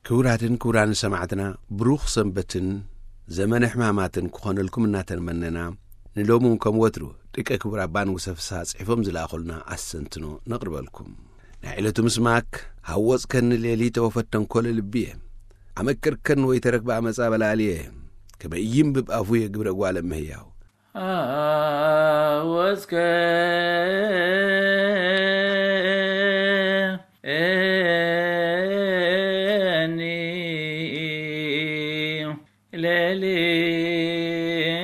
ክቡራትን ክቡራን ሰማዕትና፣ ብሩኽ ሰንበትን ዘመነ ሕማማትን ክኾነልኩም እናተመነና፣ ንሎሚ እውን ከም ወትሩ ደቂ ክቡር ኣባ ንጉሰ ፍስሃ ጽሒፎም ዝለኣኹልና ኣስተንትኖ ነቕርበልኩም። ናይ ዕለቱ ምስማክ፣ ሃወጽከኒ ሌሊተ ወፈተንኮለ ልብየ፣ ኣመከርከን ወይ ተረክበ ኣመጻ በላልየ፣ ከመ ኢይንብብ ኣፉየ ግብረ ጓለ እመሕያው። ሃወጽከ እኒ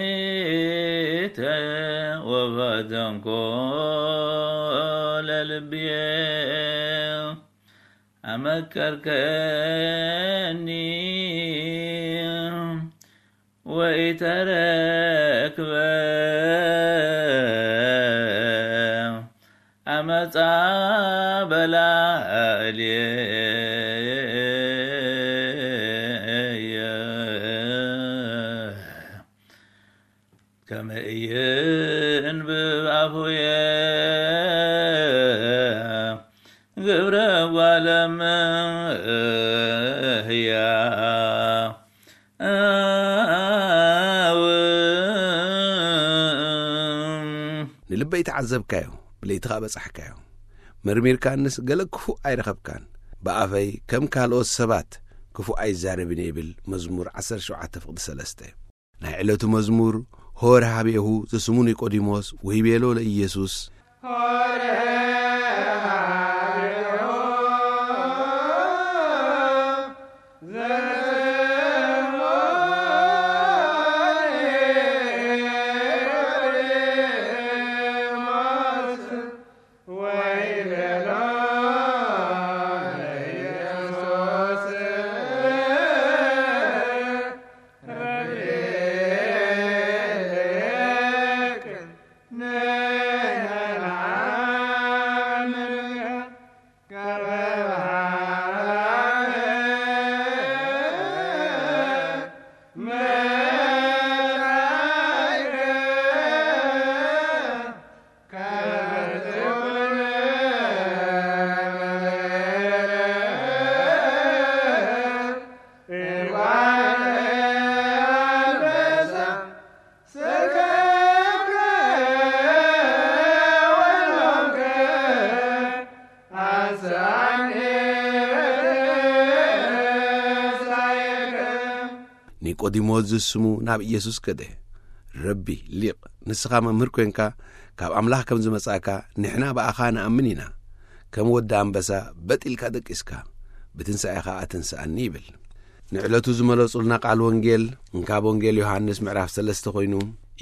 ሌሊተ ወፈተንኮ ለልብየ ኣመከርከኒ ወኢተረክበ ኣመጻ በላልየ። ከመ ኢይንብብ ኣፉየ ግብረ ጓለ እመሕያው። ንልበይ ተዓዘብካዮ፣ ብለይቲ ኸኣ በጻሕካዮ። መርሚርካንስ ገለ ክፉእ ኣይረኸብካን። ብኣፈይ ከም ካልኦት ሰባት ክፉእ ኣይዛረብን እየ ይብል መዝሙር ዓሰርተ ሸውዓተ ፍቕዲ ሰለስተ። ናይ ዕለቱ መዝሙር፣ ሆረ ሀቤሁ ዘስሙ ኒቆዲሞስ ወይቤሎ ለኢየሱስ፣ ኒቆዲሞስ ዝስሙ ናብ ኢየሱስ ከደ። ረቢ፣ ሊቕ፣ ንስኻ መምህር ኮይንካ ካብ ኣምላኽ ከም ዝመጻእካ ንሕና ብኣኻ ንኣምን ኢና። ከም ወዲ ኣንበሳ በጥ ኢልካ ደቂስካ፣ ብትንሳኤኻ ኣትንስኣኒ ይብል። ንዕለቱ ዝመለጹልና ቃል ወንጌል እንካብ ወንጌል ዮሃንስ ምዕራፍ ሰለስተ ኮይኑ፣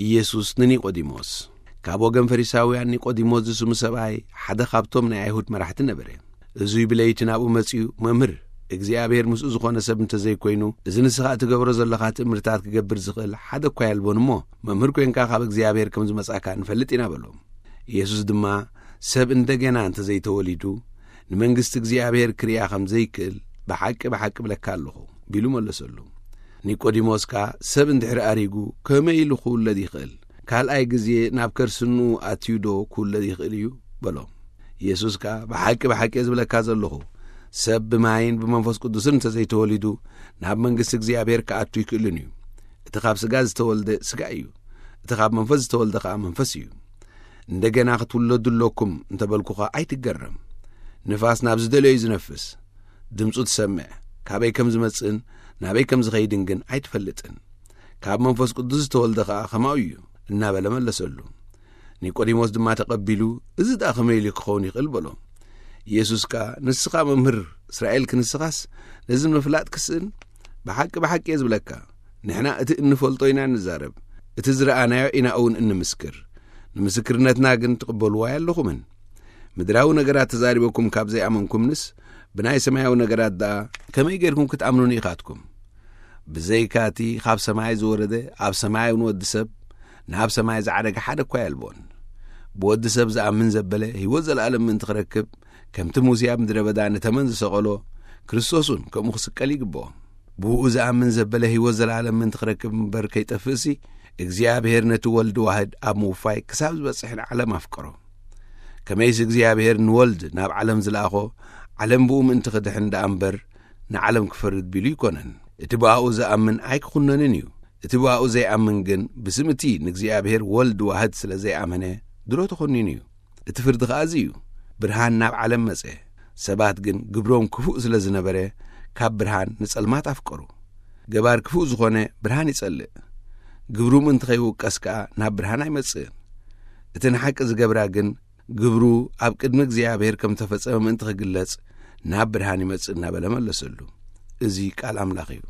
ኢየሱስ ንኒቆዲሞስ፣ ካብ ወገን ፈሪሳውያን ኒቆዲሞስ ዝስሙ ሰብኣይ ሓደ ካብቶም ናይ ኣይሁድ መራሕቲ ነበረ። እዙይ ብለይቲ ናብኡ መጺኡ፣ "መምህር፣ እግዚኣብሔር ምስኡ ዝኾነ ሰብ እንተዘይኮይኑ፣ እዚ ንስኻ እትገብሮ ዘለኻ ትእምርታት ክገብር ዝኽእል ሓደ እኳ የልቦን እሞ፣ መምህር ኮይንካ ካብ እግዚኣብሔር ከም ዝመጻእካ ንፈልጥ ኢና" በሎ። ኢየሱስ ድማ፣ "ሰብ እንደገና እንተዘይተወሊዱ፣ ንመንግስቲ እግዚኣብሔር ክርእያ ከም ዘይክእል ብሓቂ ብሓቂ እብለካ ኣለኹ" ቢሉ መለሰሉ። ኒቆዲሞስ ከኣ፣ "ሰብ እንድሕሪ ኣሪጉ ከመይ ኢሉ ክውለድ ይኽእል? ካልኣይ ግዜ ናብ ከርሲ እንኡ ኣትዩ ዶ ክውለድ ይኽእል እዩ?" በሎ። ኢየሱስ ከኣ፣ "ብሓቂ ብሓቂ እየ ዝብለካ ዘለኹ፣ ሰብ ብማይን ብመንፈስ ቅዱስን እንተዘይተወሊዱ ናብ መንግስቲ እግዚኣብሔር ክኣቱ ኣይክእልን እዩ። እቲ ካብ ስጋ ዝተወልደ ስጋ እዩ፣ እቲ ካብ መንፈስ ዝተወልደ ከኣ መንፈስ እዩ። እንደገና ክትውለዱ ኣለኩም እንተበልኩኻ ኣይትገረም። ንፋስ ናብ ዝደለዮ እዩ ዝነፍስ፣ ድምፁ ትሰምዕ፣ ካበይ ከም ዝመጽእን ናበይ ከም ዝኸይድን ግን ኣይትፈልጥን። ካብ መንፈስ ቅዱስ ዝተወልደ ኸኣ ኸማኡ እዩ" እናበለ መለሰሉ። ኒቆዲሞስ ድማ ተቐቢሉ፣ "እዚ ደኣ ከመይ ኢሉ ክኸውን ይኽእል?" በሎ። ኢየሱስ ከኣ፣ "ንስኻ መምህር እስራኤል ክንስኻስ ነዚ ምፍላጥ ክስእን? ብሓቂ ብሓቂ እየ ዝብለካ፣ ንሕና እቲ እንፈልጦ ኢና እንዛረብ፣ እቲ ዝረኣናዮ ኢና እውን እንምስክር። ንምስክርነትና ግን ትቕበልዎ ኣይኣለኹምን። ምድራዊ ነገራት ተዛሪበኩም ካብ ዘይኣመንኩምንስ፣ ብናይ ሰማያዊ ነገራት ደኣ ከመይ ጌርኩም ክትኣምኑኒ ኢኻትኩም? ብዘይካ እቲ ካብ ሰማይ ዝወረደ፣ ኣብ ሰማይ እውን ወዲ ሰብ፣ ናብ ሰማይ ዝዓረገ ሓደ እኳ የልቦን። ብወዲ ሰብ ዝኣምን ዘበለ ህይወት ዘለኣለም ምእንቲ ክረክብ፣ ከምቲ ሙሴ ኣብ ምድረ በዳ ንተመን ዝሰቐሎ፣ ክርስቶስ እውን ከምኡ ክስቀል ይግብኦ። ብእኡ ዝኣምን ዘበለ ህይወት ዘለኣለም ምእንቲ ክረክብ እምበር ከይጠፍእሲ፣ እግዚኣብሔር ነቲ ወልድ ዋህድ ኣብ ምውፋይ ክሳብ ዝበጽሕ ንዓለም ኣፍቀሮ። ከመይሲ እግዚኣብሔር ንወልድ ናብ ዓለም ዝለኣኾ፣ ዓለም ብኡ ምእንቲ ክድሕን ደኣ እምበር፣ ንዓለም ክፈርድ ቢሉ ኣይኮነን። እቲ ብኣኡ ዝኣምን ኣይክኹነንን እዩ። እቲ ብኣኡ ዘይኣምን ግን ብስም እቲ ንእግዚኣብሔር ወልድ ዋህድ ስለ ዘይኣመነ ድሮ ተኾኒኑ እዩ። እቲ ፍርዲ ኸኣ እዚ እዩ። ብርሃን ናብ ዓለም መጸ። ሰባት ግን ግብሮም ክፉእ ስለ ዝነበረ ካብ ብርሃን ንጸልማት ኣፍቀሩ። ገባር ክፉእ ዝኾነ ብርሃን ይጸልእ። ግብሩ ምእንቲ ኸይውቀስ ከኣ ናብ ብርሃን ኣይመጽእን። እቲ ንሓቂ ዝገብራ ግን ግብሩ ኣብ ቅድሚ እግዚኣብሔር ከም ተፈጸመ ምእንቲ ክግለጽ ናብ ብርሃን ይመጽእ እናበለ መለሰሉ። እዚ ቃል ኣምላኽ እዩ።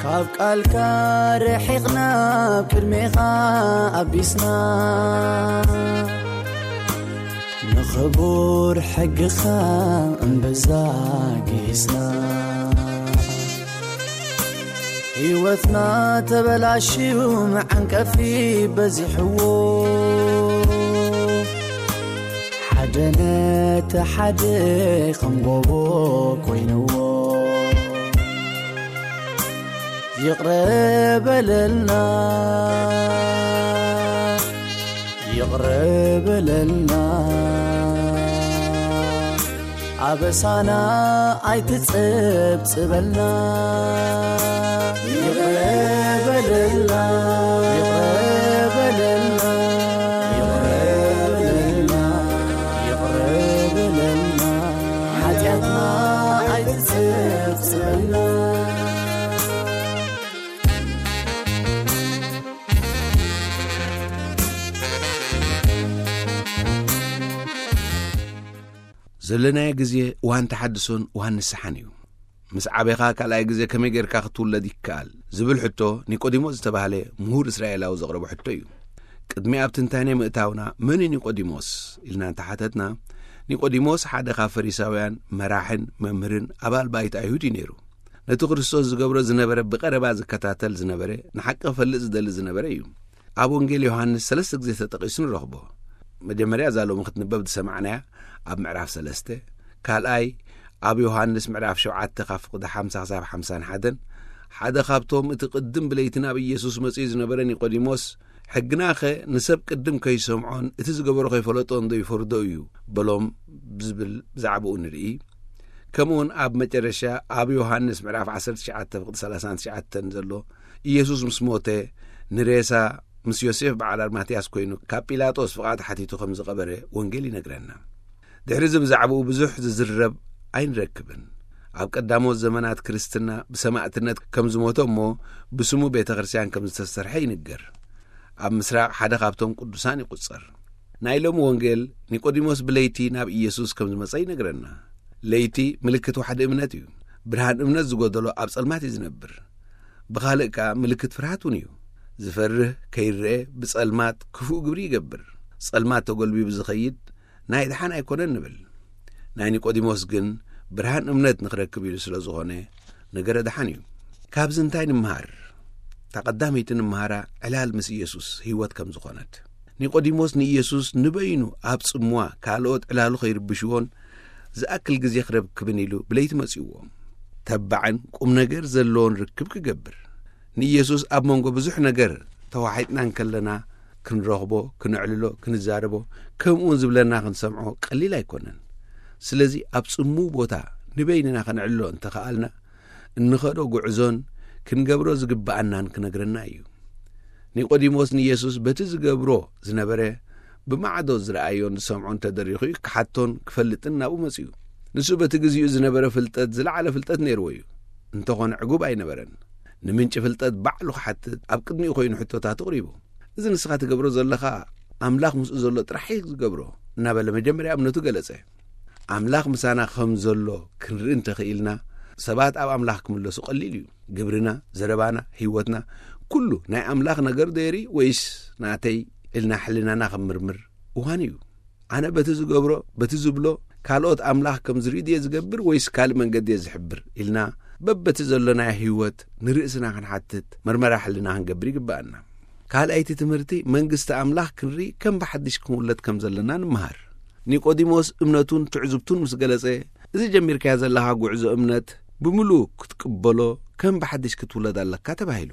ካብ ቃልካ ርሒቕና፣ ኣብ ቅድሜኻ ኣቢስና፣ ንኽቡር ሕግኻ እምብዛ ጊስና። ህይወትና ተበላሽዩ፣ መዓንቀፊ በዚሕዎ፣ ሓደ ነቲ ሓደ ከም ጎቦ ኮይንዎ። ይቕረ በለልና፣ ይቕረ በለልና፣ ኣበሳና ኣይትጸብጽበልና። ይቕረ በለልና፣ ይቕረ በለልና፣ ይቕረ በለልና፣ ይቕረ በለልና፣ ሓጢኣትና ኣይትጸብጽበልና። ዘለናዮ ግዜ እዋን ተሓድሶን እዋን ንስሓን እዩ። ምስ ዓቤኻ ካልኣይ ግዜ ከመይ ጌርካ ክትውለድ ይከኣል ዝብል ሕቶ ኒቆዲሞስ ዝተባህለ ምሁር እስራኤላዊ ዘቕረቦ ሕቶ እዩ። ቅድሚ ኣብ ትንታኔ ምእታውና፣ መን እዩ ኒቆዲሞስ ኢልና እንተሓተትና፣ ኒቆዲሞስ ሓደ ካብ ፈሪሳውያን መራሕን መምህርን ኣባል ባይት ኣይሁድ እዩ ነይሩ። ነቲ ክርስቶስ ዝገብሮ ዝነበረ ብቐረባ ዝከታተል ዝነበረ፣ ንሓቂ ክፈልጥ ዝደሊ ዝነበረ እዩ። ኣብ ወንጌል ዮሃንስ ሰለስተ ግዜ ተጠቒሱ ንረኽቦ። መጀመርያ እዛ ሎሚ ክትንበብ ዝሰማዕናያ ኣብ ምዕራፍ ሰለስተ፣ ካልኣይ ኣብ ዮሃንስ ምዕራፍ ሸውዓተ ካብ ፍቕዲ ሓምሳ ክሳብ ሓምሳን ሓደን፣ ሓደ ካብቶም እቲ ቅድም ብለይቲ ናብ ኢየሱስ መጺኡ ዝነበረ ኒቆዲሞስ፣ "ሕግናኸ ንሰብ ቅድም ከይሰምዖን እቲ ዝገበሮ ከይፈለጦን ዶ ይፈርዶ እዩ?" በሎም ዝብል ብዛዕባኡ ንርኢ። ከምኡውን ኣብ መጨረሻ ኣብ ዮሃንስ ምዕራፍ ዓሰርተ ትሽዓተ ፍቕዲ ሰላሳን ትሽዓተን ዘሎ፣ ኢየሱስ ምስ ሞተ ንሬሳ ምስ ዮሴፍ በዓል ኣርማትያስ ኮይኑ ካብ ጲላጦስ ፍቓድ ሓቲቱ ከም ዝቐበረ ወንጌል ይነግረና። ድሕሪ እዚ ብዛዕባኡ ብዙሕ ዝዝረብ ኣይንረክብን። ኣብ ቀዳሞት ዘመናት ክርስትና ብሰማዕትነት ከም ዝሞተ እሞ ብስሙ ቤተ ክርስቲያን ከም ዝተሰርሐ ይንገር። ኣብ ምስራቕ ሓደ ካብቶም ቅዱሳን ይቑጸር። ናይ ሎሚ ወንጌል ኒቆዲሞስ ብለይቲ ናብ ኢየሱስ ከም ዝመጸ ይነግረና። ለይቲ ምልክት ዋሕዲ እምነት እዩ። ብርሃን እምነት ዝጎደሎ ኣብ ጸልማት እዩ ዝነብር። ብኻልእ ከኣ ምልክት ፍርሃት እውን እዩ። ዝፈርህ ከይረአ ብጸልማት ክፉእ ግብሪ ይገብር። ጸልማት ተጎልቢቡ ዝኸይድ ናይ ደሓን ኣይኮነን ንብል። ናይ ኒቆዲሞስ ግን ብርሃን እምነት ንኽረክብ ኢሉ ስለ ዝኾነ ነገረ ደሓን እዩ። ካብዚ እንታይ ንምሃር? እታ ቀዳመይቲ ንምሃራ ዕላል ምስ ኢየሱስ ህይወት ከም ዝኾነት። ኒቆዲሞስ ንኢየሱስ ንበይኑ ኣብ ጽምዋ ካልኦት ዕላሉ ከይርብሽዎን ዝኣክል ግዜ ክረክብን ኢሉ ብለይቲ መጺእዎ። ተባዕን ቁም ነገር ዘለዎን ርክብ ክገብር። ንኢየሱስ ኣብ መንጎ ብዙሕ ነገር ተዋሒጥና እንከለና ክንረኽቦ፣ ክነዕልሎ፣ ክንዛረቦ፣ ከምኡውን ዝብለና ክንሰምዖ ቀሊል ኣይኮነን። ስለዚ ኣብ ጽምው ቦታ ንበይንና ከነዕልሎ እንተኸኣልና፣ እንኸዶ ጉዕዞን ክንገብሮ ዝግብኣናን ክነግረና እዩ። ኒቆዲሞስ ንኢየሱስ በቲ ዝገብሮ ዝነበረ ብማዕዶ ዝረኣዮን ዝሰምዖን ተደሪኹ እዩ ክሓቶን ክፈልጥን ናብኡ መጺኡ። ንሱ በቲ ግዚኡ ዝነበረ ፍልጠት ዝለዓለ ፍልጠት ነይርዎ እዩ። እንተኾነ ዕጉብ ኣይነበረን። ንምንጪ ፍልጠት ባዕሉ ክሓትት ኣብ ቅድሚኡ ኮይኑ ሕቶታት ኣቕሪቡ። "እዚ ንስኻ ትገብሮ ዘለኻ ኣምላኽ ምስኡ ዘሎ ጥራሕ እዩ ዝገብሮ" እናበለ መጀመርያ እምነቱ ገለጸ። ኣምላኽ ምሳና ከም ዘሎ ክንርኢ እንተኽኢልና፣ ሰባት ኣብ ኣምላኽ ክምለሱ ቀሊል እዩ። ግብርና፣ ዘረባና፣ ህይወትና፣ ኩሉ ናይ ኣምላኽ ነገር ዶ የርኢ ወይስ ናተይ ኢልና ሕልናና ክምርምር እዋን እዩ። ኣነ በቲ ዝገብሮ፣ በቲ ዝብሎ፣ ካልኦት ኣምላኽ ከም ዝርኢ ድየ ዝገብር ወይስ ካልእ መንገዲ እየ ዝሕብር ኢልና በበቲ ዘሎናዮ ህይወት ንርእስና ክንሓትት፣ መርመራ ሕልና ክንገብር ይግብኣና። ካልኣይቲ ትምህርቲ፣ መንግስቲ ኣምላኽ ክንርኢ ከም ብሓድሽ ክንውለድ ከም ዘለና ንምሃር። ኒቆዲሞስ እምነቱን ትዕዝብቱን ምስ ገለጸ፣ እዚ ጀሚርካዮ ዘለኻ ጉዕዞ እምነት ብምሉእ ክትቅበሎ ከም ብሓድሽ ክትውለድ ኣለካ ተባሂሉ።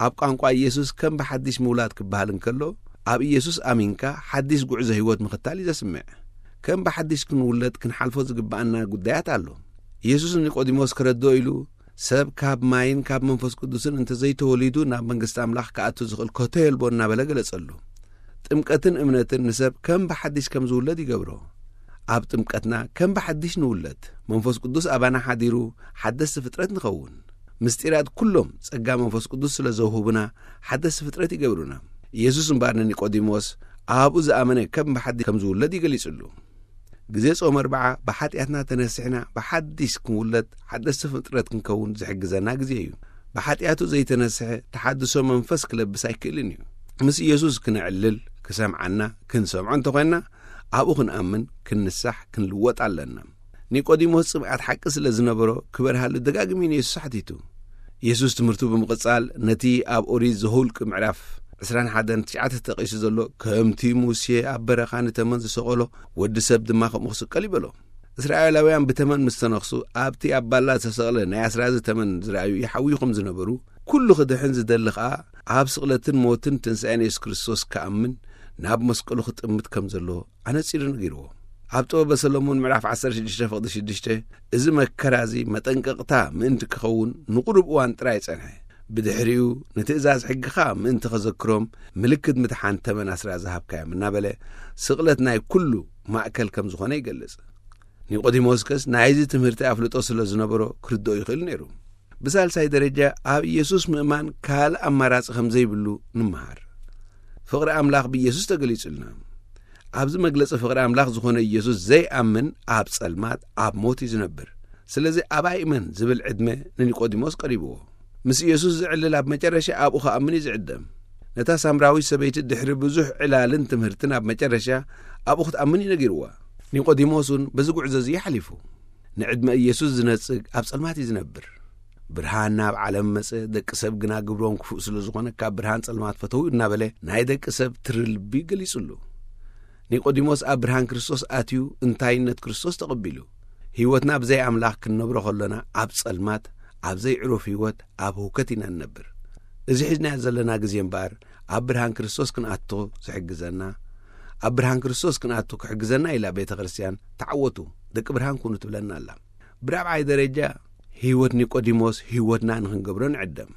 ኣብ ቋንቋ ኢየሱስ ከም ብሓድሽ ምውላድ ክበሃል እንከሎ፣ ኣብ ኢየሱስ ኣሚንካ ሓድሽ ጉዕዞ ህይወት ምኽታል እዩ ዘስምዕ። ከም ብሓድሽ ክንውለድ ክንሓልፎ ዝግብኣና ጉዳያት ኣሎ። ኢየሱስ ንኒቆዲሞስ ክረድኦ ኢሉ፣ "ሰብ ካብ ማይን ካብ መንፈስ ቅዱስን እንተዘይተወሊዱ ናብ መንግስቲ ኣምላኽ ክኣቱ ዝኽእል ከቶ የልቦን" እናበለ ገለጸሉ። ጥምቀትን እምነትን ንሰብ ከም ብሓድሽ ከም ዝውለድ ይገብሮ። ኣብ ጥምቀትና ከም ብሓድሽ ንውለድ፣ መንፈስ ቅዱስ ኣባና ሓዲሩ ሓደስቲ ፍጥረት ንኸውን። ምስጢራት ኩሎም ጸጋ መንፈስ ቅዱስ ስለ ዘውህቡና ሓደስቲ ፍጥረት ይገብሩና። ኢየሱስ እምበኣር ንኒቆዲሞስ ኣብኡ ዝኣመነ ከም ብሓድሽ ከም ዝውለድ ይገሊጽሉ። ግዜ ጾም ኣርብዓ ብሓጢኣትና ተነሲሕና ብሓድሽ ክንውለድ ሓደስቲ ፍጥረት ክንከውን ዝሕግዘና ግዜ እዩ። ብሓጢኣቱ ዘይተነስሐ ተሓድሶ መንፈስ ክለብስ ኣይክእልን እዩ። ምስ ኢየሱስ ክነዕልል፣ ክሰምዓና፣ ክንሰምዖ እንተኾይንና፣ ኣብኡ ክንኣምን፣ ክንንሳሕ፣ ክንልወጥ ኣለና። ኒቆዲሞስ ጽምኣት ሓቂ ስለ ዝነበሮ፣ ክበርሃሉ ደጋግሚ ንየሱስ ሓቲቱ። የሱስ ትምህርቱ ብምቕጻል፣ ነቲ ኣብ ኦሪት ዘሁልቅ ምዕራፍ ዕስራን ሓደን ትሽዓተ ተጠቒሱ ዘሎ፣ "ከምቲ ሙሴ ኣብ በረኻ ንተመን ዝሰቐሎ፣ ወዲ ሰብ ድማ ከምኡ ክስቀል" ይበሎ። እስራኤላውያን ብተመን ምስ ተነኽሱ፣ ኣብቲ ኣብ ባላ ዝተሰቕለ ናይ ኣስራዚ ተመን ዝረኣዩ ይሓውዩ ከም ዝነበሩ፣ ኩሉ ክድሕን ዝደሊ ኸኣ፣ ኣብ ስቕለትን ሞትን ትንሳኤን የሱስ ክርስቶስ ክኣምን፣ ናብ መስቀሉ ክጥምት ከም ዘለዎ ኣነጺሩ ነጊርዎ። ኣብ ጥበበ ሰሎሞን ምዕራፍ ዓሰርተ ሽዱሽተ ፍቕዲ ሽዱሽተ፣ እዚ መከራ እዚ መጠንቀቕታ ምእንቲ ክኸውን ንቑሩብ እዋን ጥራይ ጸንሐ። ብድሕሪኡ ንትእዛዝ ሕግኻ ምእንቲ ኸዘክሮም ምልክት ምድሓን ተመን ኣስራ ዝሃብካዮም እናበለ፣ ስቕለት ናይ ኩሉ ማእከል ከም ዝኾነ ይገልጽ። ኒቆዲሞስ ከስ ናይዚ ትምህርቲ ኣፍልጦ ስለ ዝነበሮ ክርድኦ ይኽእል ነይሩ። ብሳልሳይ ደረጃ፣ ኣብ ኢየሱስ ምእማን ካልእ ኣማራጺ ከም ዘይብሉ ንምሃር። ፍቕሪ ኣምላኽ ብኢየሱስ ተገሊጹልና። ኣብዚ መግለጺ ፍቕሪ ኣምላኽ ዝኾነ ኢየሱስ ዘይኣምን ኣብ ጸልማት፣ ኣብ ሞት እዩ ዝነብር። ስለዚ "ኣባይ እመን" ዝብል ዕድመ ንኒቆዲሞስ ቀሪብዎ። ምስ ኢየሱስ ዝዕልል ኣብ መጨረሻ ኣብኡ ክኣምን እዩ ዝዕደም። ነታ ሳምራዊት ሰበይቲ ድሕሪ ብዙሕ ዕላልን ትምህርትን ኣብ መጨረሻ ኣብኡ ክትኣምን እዩ ነጊርዋ። ኒቆዲሞስ እውን በዚ ጉዕዞ እዚ እዩ ሓሊፉ። ንዕድመ ኢየሱስ ዝነጽግ ኣብ ጸልማት እዩ ዝነብር። "ብርሃን ናብ ዓለም መጸ፣ ደቂ ሰብ ግና ግብሮም ክፉእ ስለ ዝኾነ ካብ ብርሃን ጸልማት ፈተው" እናበለ ናይ ደቂ ሰብ ትሪ ልቢ ገሊጹሉ። ኒቆዲሞስ ኣብ ብርሃን ክርስቶስ ኣትዩ፣ እንታይነት ክርስቶስ ተቐቢሉ። ህይወትና ብዘይ ኣምላኽ ክንነብሮ ከሎና ኣብ ጸልማት፣ ኣብ ዘይዕሩፍ ህይወት፣ ኣብ ህውከት ኢና ንነብር። እዚ ሒዝናዮ ዘለና ግዜ እምበኣር ኣብ ብርሃን ክርስቶስ ክንኣቱ ዝሕግዘና፣ ኣብ ብርሃን ክርስቶስ ክንኣቱ ክሕግዘና ኢላ ቤተ ክርስቲያን "ተዓወቱ፣ ደቂ ብርሃን ኩኑ" ትብለና ኣላ። ብራብዓይ ደረጃ፣ ህይወት ኒቆዲሞስ ህይወትና ንኽንገብሮ ንዕደም።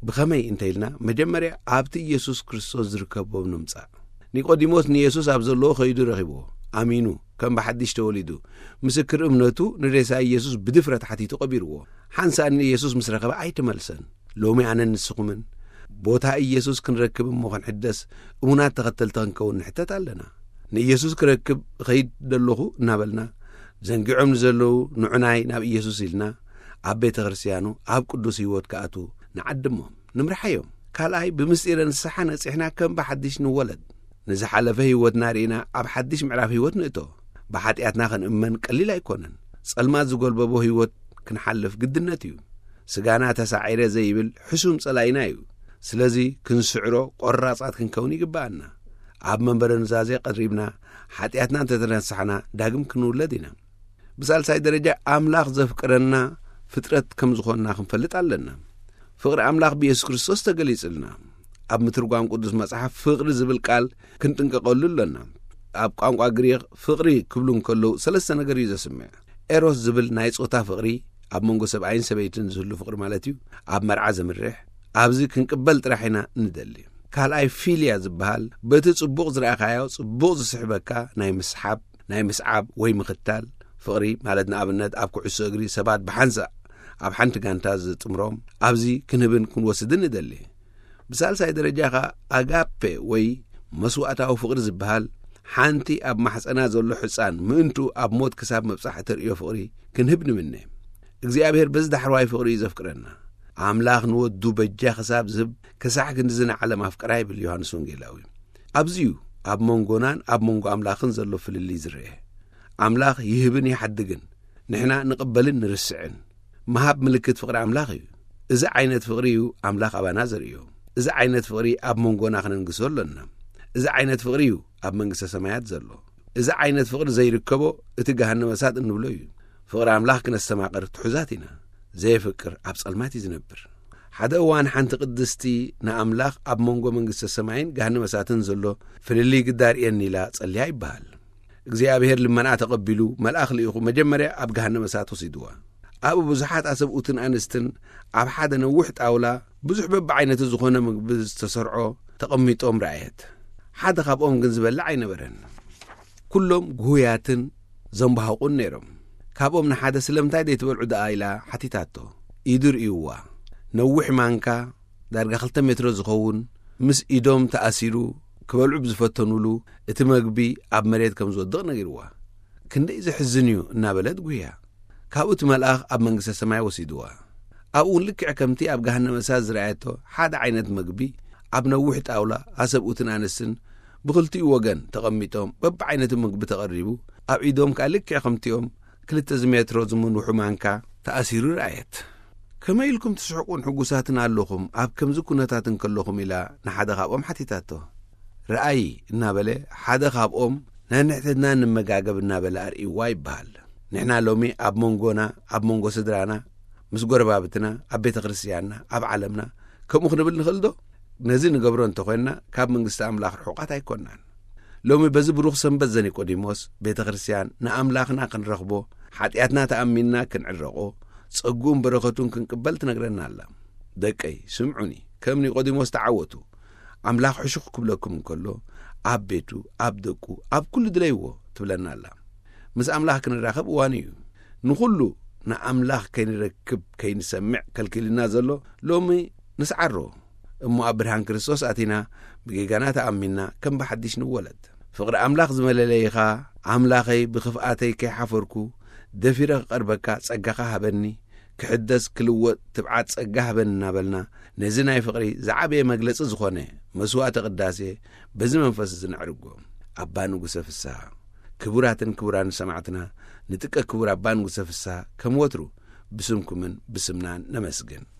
ብኸመይ እንተ ኢልና፣ መጀመርያ ኣብቲ ኢየሱስ ክርስቶስ ዝርከቦ ንምጻእ። ኒቆዲሞስ ንየሱስ ኣብ ዘለዎ ኸይዱ ረኺብዎ፣ ኣሚኑ፣ ከም ብሓድሽ ተወሊዱ፣ ምስክር እምነቱ ንሬሳ ኢየሱስ ብድፍረት ሓቲቱ ቀቢርዎ። ሓንሳእ ንኢየሱስ ምስ ረኸበ ኣይተመልሰን። ሎሚ ኣነን ንስኹምን ቦታ ኢየሱስ ክንረክብ እሞ ክንሕደስ እሙናት ተኸተልቲ ክንከውን ንሕተት ኣለና። ንኢየሱስ ክረክብ እኸይድ ደለኹ እናበልና፣ ዘንጊዖም ንዘለዉ ንዑናይ ናብ ኢየሱስ ኢልና፣ ኣብ ቤተ ክርስቲያኑ፣ ኣብ ቅዱስ ህይወት ክኣትዉ ንዓድሞም፣ ንምርሓዮም። ካልኣይ፣ ብምስጢረ ንስሓ ነጺሕና ከም ብሓድሽ ንወለድ። ንዝሓለፈ ህይወትና ርኢና ኣብ ሓድሽ ምዕራፍ ህይወት ንእቶ። ብሓጢኣትና ክንእመን ቀሊል ኣይኮነን። ጸልማት ዝጎልበቦ ህይወት ክንሓልፍ ግድነት እዩ። ስጋና ተሳዒረ ዘይብል ሕሱም ጸላኢና እዩ። ስለዚ ክንስዕሮ ቆራጻት ክንከውን ይግብኣና። ኣብ መንበረ ኑዛዜ ቀሪብና ሓጢኣትና እንተተነሳሕና ዳግም ክንውለድ ኢና። ብሳልሳይ ደረጃ ኣምላኽ ዘፍቅረና ፍጥረት ከም ዝኾንና ክንፈልጥ ኣለና። ፍቕሪ ኣምላኽ ብየሱስ ክርስቶስ ተገሊጽልና። ኣብ ምትርጓም ቅዱስ መጽሓፍ ፍቕሪ ዝብል ቃል ክንጥንቀቐሉ ኣለና። ኣብ ቋንቋ ግሪኽ ፍቕሪ ክብሉ እንከለዉ ሰለስተ ነገር እዩ ዘስምዕ። ኤሮስ ዝብል ናይ ጾታ ፍቕሪ፣ ኣብ መንጎ ሰብኣይን ሰበይትን ዝህሉ ፍቕሪ ማለት እዩ። ኣብ መርዓ ዘምርሕ፣ ኣብዚ ክንቅበል ጥራሕ ኢና ንደሊ። ካልኣይ ፊልያ ዝበሃል፣ በቲ ጽቡቕ ዝረኣኻዮ ጽቡቕ ዝስሕበካ ናይ ምስሓብ፣ ናይ ምስዓብ ወይ ምኽታል ፍቕሪ ማለት፣ ንኣብነት ኣብ ኩዕሶ እግሪ ሰባት ብሓንሳእ ኣብ ሓንቲ ጋንታ ዝጥምሮም፣ ኣብዚ ክንህብን ክንወስድን ንደሊ። ብሳልሳይ ደረጃ ኸኣ ኣጋፔ ወይ መስዋእታዊ ፍቕሪ ዝበሃል፣ ሓንቲ ኣብ ማሕጸና ዘሎ ሕጻን ምእንቱ ኣብ ሞት ክሳብ ምብጻሕ እተርእዮ ፍቕሪ ክንህብ ንምነ። እግዚኣብሔር በዚ ዳሕረዋይ ፍቕሪ እዩ ዘፍቅረና። ኣምላኽ ንወዱ በጃ ክሳብ ዝህብ ክሳዕ ክንድዚ ንዓለም ኣፍቀራ ይብል ዮሃንስ ወንጌላዊ። ኣብዚ እዩ ኣብ መንጎናን ኣብ መንጎ ኣምላኽን ዘሎ ፍልልይ ዝረአ። ኣምላኽ ይህብን ይሓድግን፣ ንሕና ንቕበልን ንርስዕን። ምሃብ ምልክት ፍቕሪ ኣምላኽ እዩ። እዚ ዓይነት ፍቕሪ እዩ ኣምላኽ ኣባና ዘርእዮ። እዚ ዓይነት ፍቕሪ ኣብ መንጎና ክነንግሶ ኣሎና። እዚ ዓይነት ፍቕሪ እዩ ኣብ መንግስተ ሰማያት ዘሎ። እዚ ዓይነት ፍቕሪ ዘይርከቦ እቲ ገሃነመ እሳት እንብሎ እዩ። ፍቕሪ ኣምላኽ ክነስተማቕር ትሑዛት ኢና። ዘየፍቅር ኣብ ጸልማት እዩ ዝነብር። ሓደ እዋን ሓንቲ ቅድስቲ ንኣምላኽ ኣብ መንጎ መንግስተ ሰማይን ገሃነመ እሳትን ዘሎ ፍልልይ ግዳ ርእየኒ ኢላ ጸልያ ይበሃል። እግዚኣብሔር ልመና ተቐቢሉ መልኣኽ ልኢኹ መጀመርያ ኣብ ገሃነመ እሳት ወሲድዋ። ኣብኡ ብዙሓት ኣሰብኡትን ኣንስትን ኣብ ሓደ ነዊሕ ጣውላ ብዙሕ በብዓይነቱ ዝኾነ ምግቢ ዝተሰርዖ ተቐሚጦም ረኣየት። ሓደ ካብኦም ግን ዝበልዕ ኣይነበረን። ኩሎም ጉሁያትን ዘንባሃቑን ነይሮም። ካብኦም ንሓደ ስለምንታይ ዘይትበልዑ ደኣ ኢላ ሓቲታቶ። ኢዱ ርእይዋ። ነዊሕ ማንካ ዳርጋ ክልተ ሜትሮ ዝኸውን ምስ ኢዶም ተኣሲሩ ክበልዑ ብዝፈተኑሉ እቲ መግቢ ኣብ መሬት ከም ዝወድቕ ነጊርዋ። ክንደይ ዘሕዝን እዩ እናበለት ጉህያ። ካብኡ እቲ መልኣኽ ኣብ መንግስተ ሰማይ ወሲድዋ። ኣብኡ እውን ልክዕ ከምቲ ኣብ ገሃነመ እሳት ዝረኣየቶ ሓደ ዓይነት መግቢ ኣብ ነዊሕ ጣውላ ኣሰብኡትን ኣንስትን ብኽልቲኡ ወገን ተቐሚጦም በብዓይነቱ ምግቢ ተቐሪቡ ኣብ ኢዶም ከኣ ልክዕ ከምቲኦም ክልተ ዝሜትሮ ዝምንውሑ ማንካ ተኣሲሩ ረኣየት። ከመይ ኢልኩም ትስሕቁን ሕጉሳትን ኣለኹም ኣብ ከምዚ ኩነታት እንከለኹም ኢላ ንሓደ ካብኦም ሓቲታቶ። ረኣይ እናበለ ሓደ ካብኦም ነንሕትና ንመጋገብ እናበለ ኣርእይዋ ይበሃል። ንሕና ሎሚ ኣብ መንጎና ኣብ መንጎ ስድራና ምስ ጎረባብትና ኣብ ቤተ ክርስትያንና ኣብ ዓለምና ከምኡ ክንብል ንኽእል ዶ? ነዚ ንገብሮ እንተኾይንና ካብ መንግስቲ ኣምላኽ ርሑቓት ኣይኮንናን። ሎሚ በዚ ብሩኽ ሰንበት ዘኒቆዲሞስ ቤተ ክርስትያን ንኣምላኽና ክንረኽቦ ሓጢኣትና ተኣሚንና ክንዕረቖ ጸግኡን በረኸቱን ክንቅበል ትነግረና ኣላ። ደቀይ ስምዑኒ፣ ከም ኒቆዲሞስ ተዓወቱ። ኣምላኽ ሕሹኽ ክብለኩም እንከሎ ኣብ ቤቱ ኣብ ደቁ ኣብ ኩሉ ድለይዎ ትብለና ኣላ። ምስ ኣምላኽ ክንራኸብ እዋኑ እዩ። ንኹሉ ንኣምላኽ ከይንረክብ ከይንሰምዕ ከልኪልና ዘሎ ሎሚ ንስዓሮ። እሞ ኣብ ብርሃን ክርስቶስ ኣቲና ብጌጋና ተኣሚንና ከም ብሓድሽ ንወለድ። ፍቕሪ ኣምላኽ ዝመለለይኻ ኣምላኸይ ብኽፍኣተይ ከይሓፈርኩ ደፊረ ክቐርበካ ጸጋኻ ሃበኒ። ክሕደስ ክልወጥ ትብዓት ጸጋ ሃበኒ እናበልና ነዚ ናይ ፍቕሪ ዝዓበየ መግለጺ ዝኾነ መስዋዕተ ቅዳሴ በዚ መንፈስ እዚ ነዕርጎ። ኣባ ንጉሰ ፍስሃ። ክቡራትን ክቡራን ሰማዕትና ንጥቀ ክቡር ኣባ ንጉሰ ፍስሃ ከም ወትሩ ብስምኩምን ብስምናን ነመስግን።